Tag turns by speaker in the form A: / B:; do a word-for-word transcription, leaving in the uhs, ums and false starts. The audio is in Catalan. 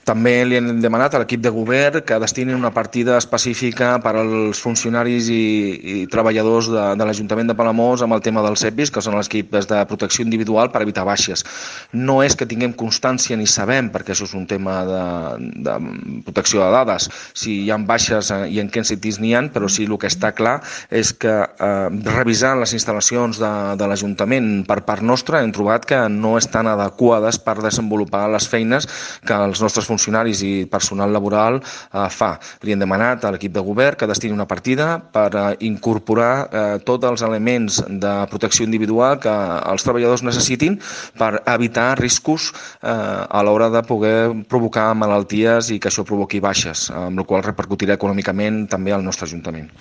A: També li hem demanat a l'equip de govern que destini una partida específica per als funcionaris i, i treballadors de, de l'Ajuntament de Palamós amb el tema dels E P Is, que són els equips de protecció individual per evitar baixes. No és que tinguem constància ni sabem, perquè això és un tema de, de protecció de dades, si hi ha baixes i en quins sitis n'hi ha, però sí el que està clar és que eh, revisant les instal·lacions de, de l'Ajuntament per part nostra hem trobat que no estan adequades per desenvolupar les feines que els nostres funcionaris funcionaris i personal laboral eh, fa. Li hem demanat a l'equip de govern que destini una partida per eh, incorporar eh, tots els elements de protecció individual que els treballadors necessitin per evitar riscos eh, a l'hora de poder provocar malalties i que això provoqui baixes, amb la qual cosa repercutirà econòmicament també al nostre Ajuntament.